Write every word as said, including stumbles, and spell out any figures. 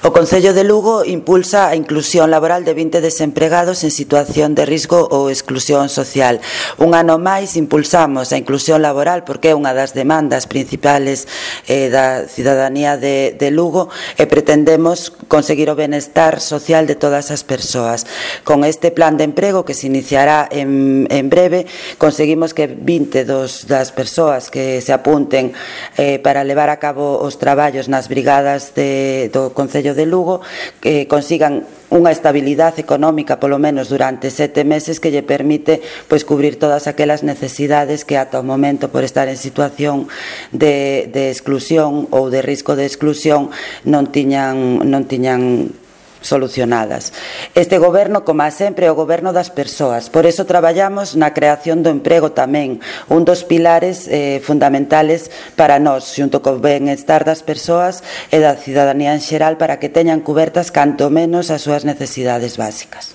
O Concello de Lugo impulsa a inclusión laboral de vinte desempregados en situación de risco ou exclusión social. Un ano máis impulsamos a inclusión laboral porque é unha das demandas principales eh, da cidadanía de, de Lugo e pretendemos conseguir o benestar social de todas as persoas. Con este plan de emprego que se iniciará en, en breve, conseguimos que vinte dos, das persoas que se apunten eh, para levar a cabo os traballos nas brigadas de, do Concello de Lugo que consigan unha estabilidade económica polo menos durante sete meses que lle permite pois cubrir todas aquelas necesidades que ata o momento por estar en situación de, de exclusión ou de risco de exclusión non tiñan, non tiñan solucionadas. Este goberno, como sempre, é o goberno das persoas. Por eso traballamos na creación do emprego tamén, un dos pilares eh, fundamentales para nós, xunto co benestar das persoas e da cidadanía en xeral para que teñan cubertas canto menos as súas necesidades básicas.